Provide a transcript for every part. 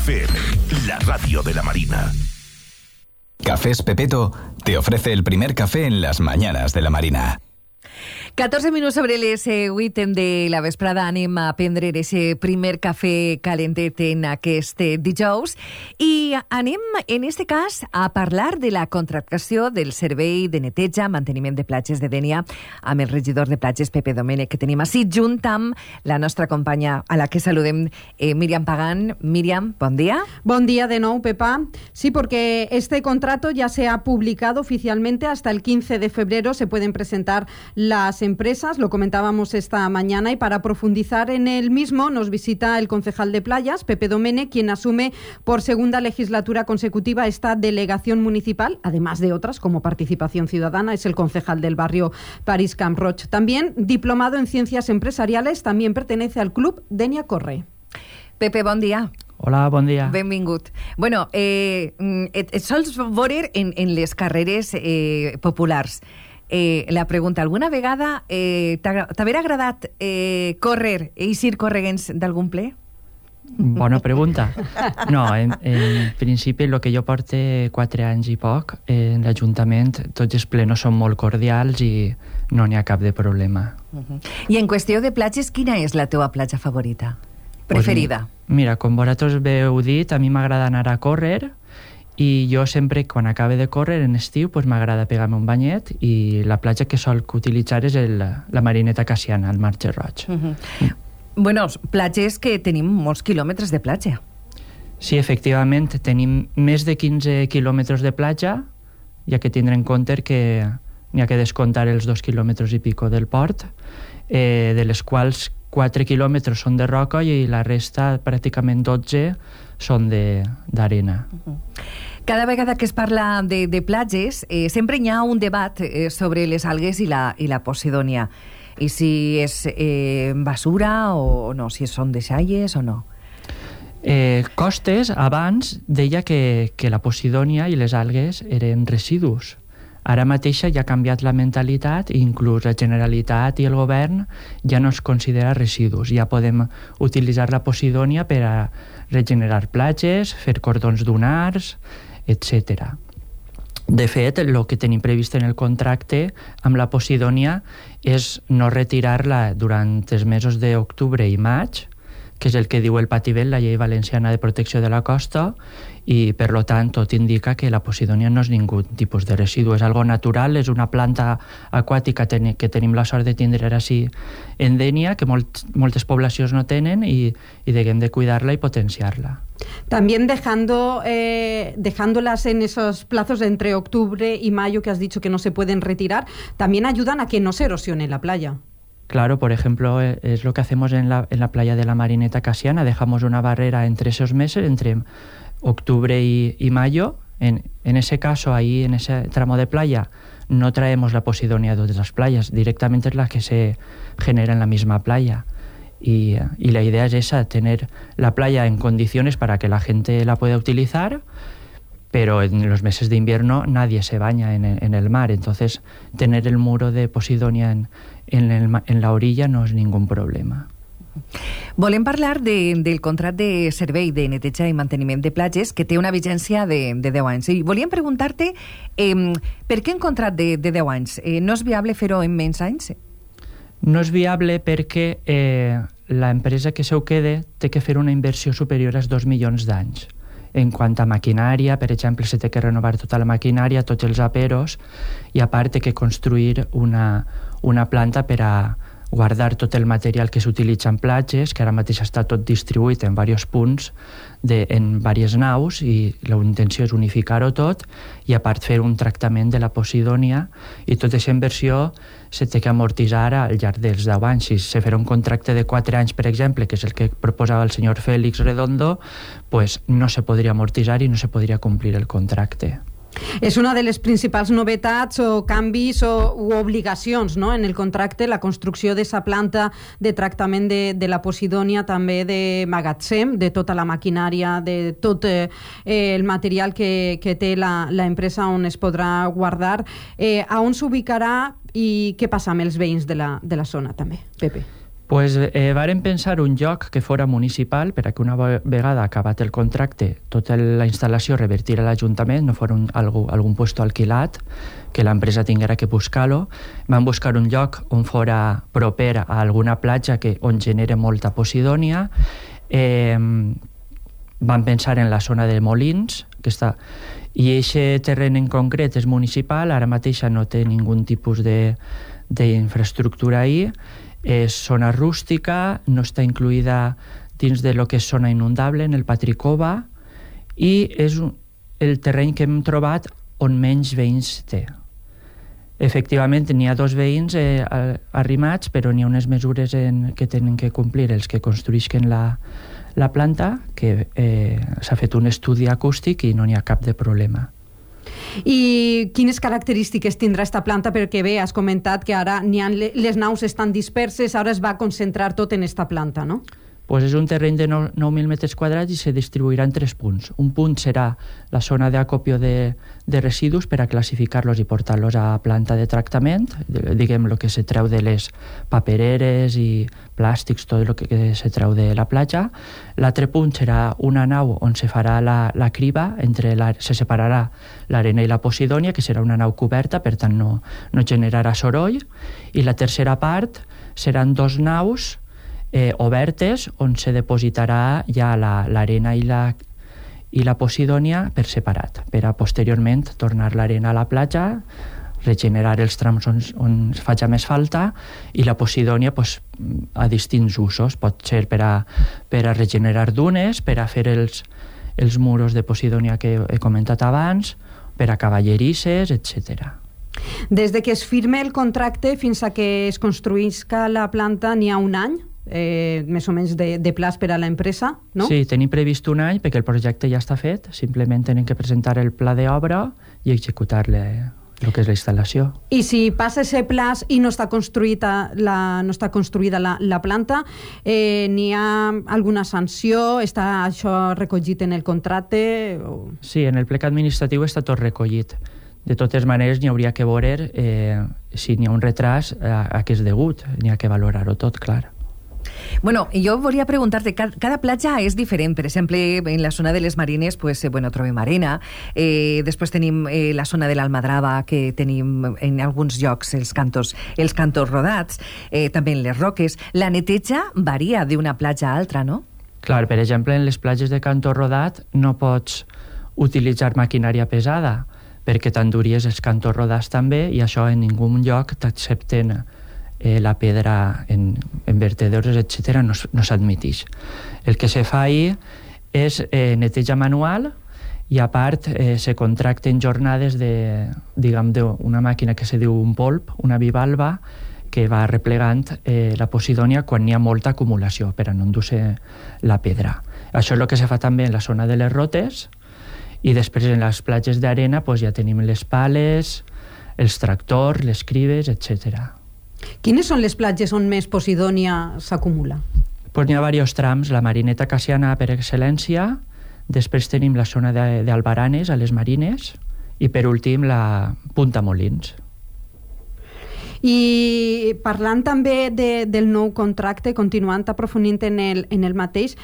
FM, la radio de la Marina. Cafés Pepetto te ofrece el primer café en las mañanas de la Marina. 14 minuts sobre les 8 de la vesprada anem a prendre ese primer cafè calentet en aquest dijous i anem, en este cas, a parlar de la contractació del servei de neteja, manteniment de platges de Dénia amb el regidor de platges, Pepe Domènech, que tenim així, junt amb la nostra companya, a la que saludem, Míriam Pagán. Míriam, bon dia. Bon día de nuevo, Pepa. Sí, porque este contrato ya se ha publicado oficialmente. Hasta el 15 de febrero se pueden presentar las empresas, lo comentábamos esta mañana, y para profundizar en el mismo nos visita el concejal de Playas, Pepe Domènech, quien asume por segunda legislatura consecutiva esta delegación municipal, además de otras como Participación Ciudadana. Es el concejal del barrio París Camp Roig. También diplomado en Ciencias Empresariales, también pertenece al Club Dénia Corre. Pepe, bon dia. Hola, bon dia. Benvingut. Bueno, et sols veure en les carreres populars. La pregunta, alguna vegada t'haver agradat córrer i eixir correguents d'algun ple? Bona pregunta. No, en principi el que jo porte 4 anys i poc en l'Ajuntament, tots els plenos són molt cordials i no n'hi ha cap de problema. I en qüestió de platges, quina és la teva platja favorita? Preferida? Mira, com vosaltres heu dit, a mi m'agrada anar a córrer i jo sempre, quan acabe de córrer en estiu, pues m'agrada pegar-me un banyet i la platja que sol utilitzar és la Marineta Cassiana, al Marge Roig. Bueno, platges que tenim molts quilòmetres de platja. Sí, efectivament, tenim més de 15 quilòmetres de platja, ja que tindrem en compte que n'hi ha que descomptar els 2 quilòmetres i pico del port, de les quals 4 quilòmetres són de roca i la resta, pràcticament 12, són d'arena. Cada vegada que es parla de platges, sempre hi ha un debat sobre les algues i la posidònia. I si és basura o no, si són deixalles o no. Costes, abans, deia que la posidònia i les algues eren residus. Ara mateixa ja ha canviat la mentalitat i inclús la Generalitat i el govern ja no es considera residus. Ja podem utilitzar la posidònia per a regenerar platges, fer cordons dunars, etc. De fet, el que tenim previst en el contracte amb la posidònia és no retirar-la durant els mesos d'octubre i maig, que és el que diu el Pativel, la Llei Valenciana de Protecció de la Costa, i per tant tot indica que la posidònia no és ningú tipus de residu, és algo natural, és una planta aquàtica que tenim la sort de tindre així en Dénia, que moltes poblacions no tenen i hem de cuidar-la i potenciar-la. También dejándolas en esos plazos de entre octubre y mayo que has dicho que no se pueden retirar, también ayudan a que no se erosione la playa. Claro, por ejemplo, es lo que hacemos en la playa de la Marineta Cassiana. Dejamos una barrera entre esos meses, entre octubre y mayo. En ese caso, ahí en ese tramo de playa, no traemos la posidònia de todas las playas. Directamente es la que se genera en la misma playa. Y la idea es esa, tener la playa en condiciones para que la gente la pueda utilizar, pero en los meses de invierno nadie se baña en el mar. Entonces, tener el muro de posidònia en la orilla no és ningú problema. Volem parlar del contracte de servei de neteja i manteniment de platges que té una vigència de 10 anys. I volíem preguntar-te per què un contracte de 10 anys? No és viable fer-ho en menys anys? No és viable perquè l'empresa que se ho quede té que fer una inversió superior als 2 milions d'anys. En quant a maquinària, per exemple, se té que renovar tota la maquinària, tots els aperos, i a part té que construir una planta per a guardar tot el material que s'utilitza en platges, que ara mateix està tot distribuït en diversos punts, en diverses naus, i la intenció és unificar-ho tot, i a part fer un tractament de la posidònia, i tota aquesta inversió se té que amortitzar al llarg dels 10 anys. Si se farà un contracte de 4 anys, per exemple, que és el que proposava el senyor Félix Redondo, pues no se podria amortitzar i no se podria complir el contracte. És una de les principals novetats o canvis o obligacions, no? En el contracte, la construcció d'aquesta planta de tractament de la posidònia, també de magatzem, de tota la maquinària, de tot el material que té l'empresa on es podrà guardar. A on s'ubicarà i què passa amb els veïns de la zona, també, Pepe? Pues varen pensar un lloc que fora municipal per a que una vegada acabat el contracte tota la instal·lació revertir a l'Ajuntament, no fora algun puesto alquilat, que l'empresa tinguera que buscar-lo. Van buscar un lloc on fora proper a alguna platja on genera molta posidònia. Van pensar en la zona de Molins, que està... I aquest terreny en concret és municipal, ara mateix no té ningú tipus d'infraestructura ahí. És zona rústica, no està incluïda dins de lo que és zona inundable, en el Patricova, i és el terreny que hem trobat on menys veïns té. Efectivament, n'hi ha 2 veïns arrimats, però n'hi ha unes mesures que tenen que complir els que construïsquen la planta, que s'ha fet un estudi acústic i no n'hi ha cap de problema. I quines característiques tindrà esta planta? Perquè bé, has comentat que ara les naus estan disperses, ara es va concentrar tot en esta planta, no? Pues és un terreny de 9.000 metres quadrats i se distribuirà en 3 punts. Un punt serà la zona d'acopio de residus per a classificar-los i portar-los a planta de tractament, diguem el que se treu de les papereres i plàstics, tot el que se treu de la platja. L'altre punt serà una nau on se farà la criba, se separarà l'arena i la posidònia, que serà una nau coberta, per tant no generarà soroll. I la tercera part seran 2 naus obertes on se depositarà ja l'arena i la posidònia per separat, per a posteriorment tornar l'arena a la platja, regenerar els trams on faci més falta, i la posidònia a distints usos. Pot ser per a regenerar dunes, per a fer els muros de posidònia que he comentat abans, per a cavallerisses, etc. Des de que es firme el contracte fins a que es construïsca la planta n'hi ha un any? Més o menys de plaç per a l'empresa, no? Sí, tenim previst un any perquè el projecte ja està fet, simplement tenen que presentar el pla d'obra i executar-le el que és la instal·lació. I si passa aquest plaç i no està construïda la planta, n'hi ha alguna sanció? Està això recollit en el contracte? Sí, en el plec administratiu està tot recollit. De totes maneres, n'hi hauria que veure si n'hi ha un retras a què és degut. N'hi ha que valorar-ho tot, clar. Bueno, jo volia preguntar-te, cada platja és diferent. Per exemple, en la zona de les Marines trobem arena, després tenim la zona de l'Almadrava, que tenim en alguns llocs els cantos rodats, també en les roques. La neteja varia d'una platja a altra, no? Clar, per exemple, en les platges de canto rodat no pots utilitzar maquinària pesada, perquè t'enduries els cantos rodats també, i això en ningú lloc t'accepten la pedra en vertedores, etc., no s'admitix. El que se fa ahir és neteja manual, i a part se contracten jornades d'una màquina que se diu un polp, una bivalva, que va replegant la posidònia quan hi ha molta acumulació per a no endur-se la pedra. Això és el que se fa també en la zona de les rotes, i després en les platges d'arena ja tenim les pales, els tractors, les cribes, etc. Quines són les platges on més posidònia s'acumula? N'hi ha diversos trams. La Marineta Cassiana per excel·lència, després tenim la zona d'Albaranes, a les Marines, i per últim la Punta Molins. I parlant també del nou contracte, continuant aprofundint en el mateix,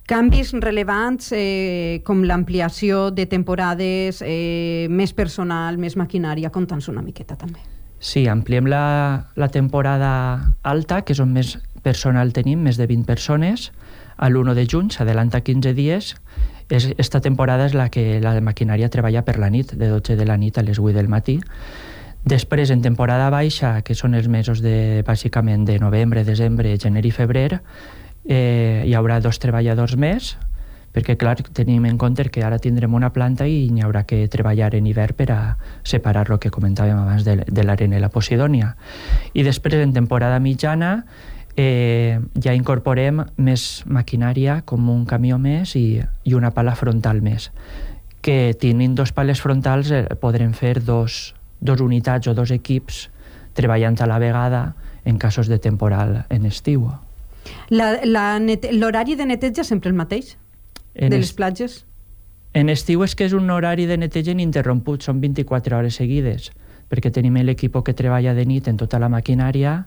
canvis rellevants com l'ampliació de temporades, més personal, més maquinària, conta'ns una miqueta també. Sí, ampliem la temporada alta, que és on més personal tenim, més de 20 persones. A l'1 de juny s'adelanta 15 dies. Esta temporada és la que la maquinària treballa per la nit, de 12 de la nit a les 8 del matí. Després, en temporada baixa, que són els mesos bàsicament de novembre, desembre, gener i febrer, hi haurà 2 treballadors més, perquè, clar, tenim en compte que ara tindrem una planta i n'hi haurà que treballar en hivern per a separar el que comentàvem abans de l'arena i la posidònia. I després, en temporada mitjana, ja incorporem més maquinària, com un camió més i una pala frontal més, que tenint 2 pales frontals podrem fer 2 unitats o 2 equips treballant a la vegada en casos de temporal en estiu. L'horari de neteja sempre el mateix? De les platges? En estiu és que és un horari de neteja ininterromput, són 24 hores seguides, perquè tenim l'equip que treballa de nit en tota la maquinària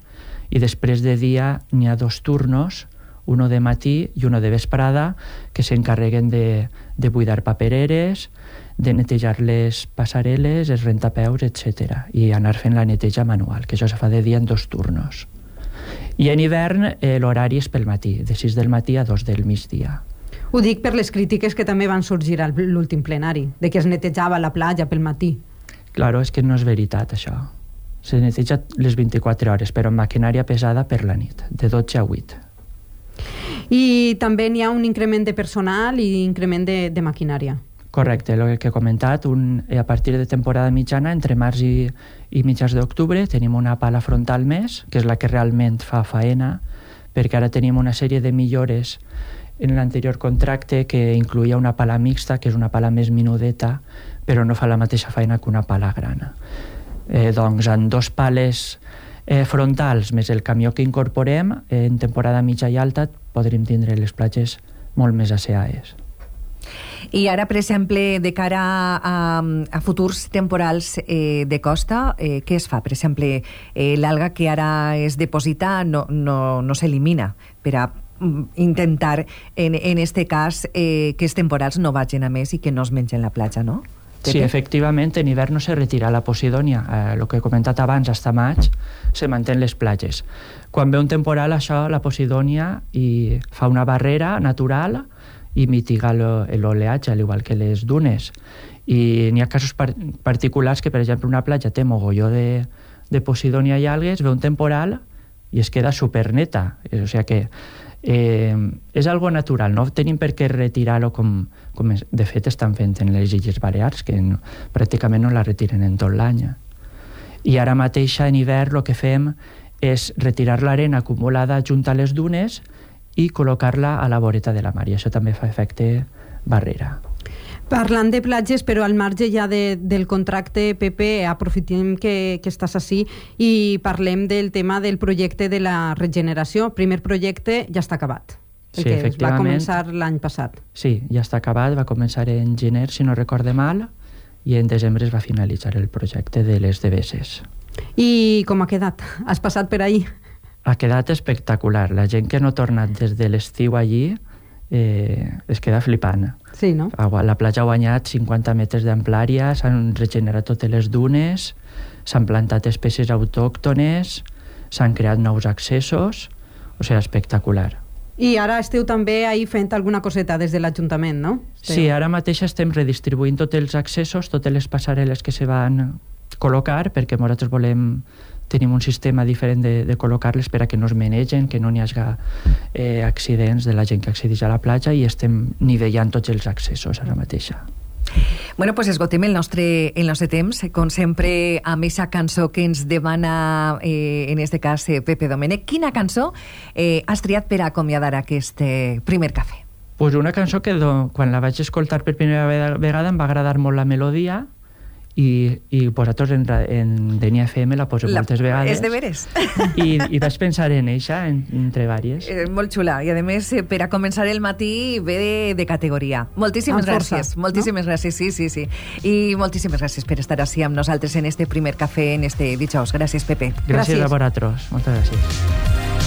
i després de dia n'hi ha 2 turnos, uno de matí i uno de vesprada, que s'encarreguen de buidar papereres, de netejar les passarel·les, els rentapeus, etc. I anar fent la neteja manual, que això se fa de dia en 2 turnos. I en hivern l'horari és pel matí, de 6 del matí a 2 del migdia. Ho dic per les crítiques que també van sorgir a l'últim plenari, de que es netejava la platja pel matí. Claro, és que no és veritat, això. Se neteja les 24 hores, però amb maquinària pesada per la nit, de 12 a 8. I també n'hi ha un increment de personal i increment de maquinària. Correcte, el que he comentat, a partir de temporada mitjana, entre març i mitjans d'octubre, tenim una pala frontal més, que és la que realment fa faena, perquè ara tenim una sèrie de millores en l'anterior contracte que incluïa una pala mixta, que és una pala més minudeta, però no fa la mateixa feina que una pala grana. Doncs en 2 pales frontals més el camió que incorporem, en temporada mitja i alta podrem tindre les platges molt més asseades. I ara, per exemple, de cara a futurs temporals de costa, què es fa? Per exemple, l'alga que ara es deposita no s'elimina per a intentar, en este cas, que els temporals no vagin a més i que no es mengen la platja, no? Sí, efectivament, en hivern no se retira la Posidònia. El que he comentat abans, fins a maig, se mantén les platges. Quan ve un temporal, això, la Posidònia fa una barrera natural i mitiga l'oleatge, al igual que les dunes. I n'hi ha casos particulars que, per exemple, una platja té mogolló de Posidònia i algues, ve un temporal i es queda superneta. O sigui que és algo natural, no tenim per què retirar-ho com de fet estan fent en les Illes Balears, que pràcticament no la retiren en tot l'any. I ara mateix en hivern el que fem és retirar l'arena acumulada junt a les dunes i col·locar-la a la voreta de la mar, i això també fa efecte barrera. Parlant de platges, però al marge ja del contracte, Pepe, aprofitem que estàs així i parlem del tema del projecte de la regeneració. El primer projecte ja està acabat. Sí, efectivament. Va començar l'any passat. Sí, ja està acabat, va començar en gener, si no recorde mal, i en desembre es va finalitzar el projecte de les devesses. I com ha quedat? Has passat per ahí? Ha quedat espectacular. La gent que no ha tornat des de l'estiu allí es queda flipant. Sí, no? La platja ha guanyat 50 metres d'amplària, s'han regenerat totes les dunes, s'han plantat espècies autòctones, s'han creat nous accessos, o sigui, espectacular. I ara esteu també ahí fent alguna coseta des de l'Ajuntament, no? Sí, ara mateix estem redistribuint tots els accessos, totes les passarel·les que se van col·locar, perquè nosaltres tenim un sistema diferent de col·locar-les per a que no es menegen, que no n'hi hagi accidents de la gent que accedeix a la platja, i estem nivellant tots els accessos ara mateixa. Bueno, pues esgotem el nostre temps, com sempre, amb aquesta cançó que ens demana, en este cas, Pepe Domènech. Quina cançó has triat per acomiadar aquest primer cafè? Pues una cançó que quan la vaig escoltar per primera vegada em va agradar molt la melodia, i vosaltres en Denia FM la poseu moltes vegades. És de veres. I vaig pensar en eixa, entre vàries. Molt xula, i a més per a començar el matí ve de categoria. Moltíssimes gràcies. Moltíssimes gràcies, sí. I moltíssimes gràcies per estar així amb nosaltres en este primer cafè, en este dijous. Gràcies, Pepe. Gràcies a vosaltres. Moltes gràcies.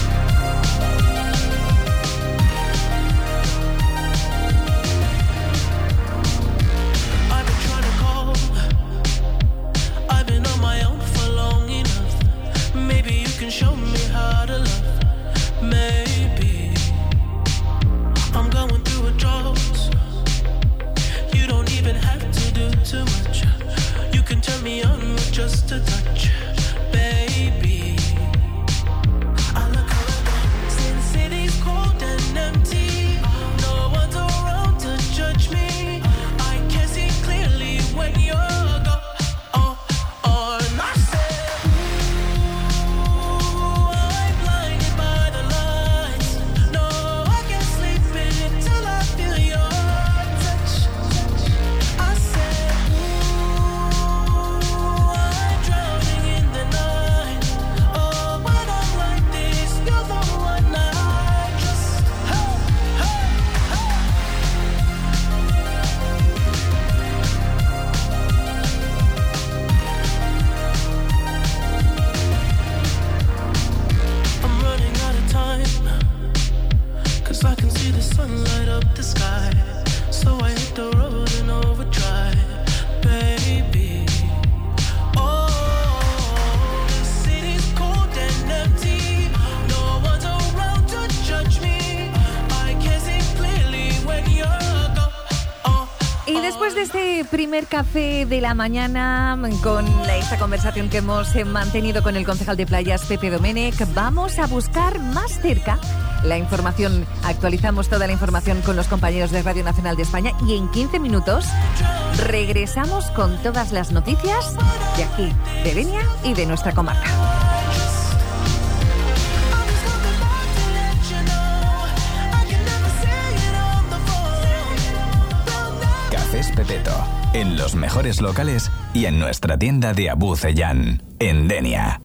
Just a touch, baby. I so I can see the sun light up the sky. So I hit the road and overdrive, baby. Oh, the city's cold and empty. No one's around to judge me. I can see clearly when you're gone. Y después de este primer café de la mañana, con esta conversación que hemos mantenido con el concejal de playas, Pepe Domènech, vamos a buscar más cerca la información. Actualizamos toda la información con los compañeros de Radio Nacional de España y en 15 minutos regresamos con todas las noticias de aquí, de Denia y de nuestra comarca. Cafés Pepeto, en los mejores locales y en nuestra tienda de Abu Ceyán, en Denia.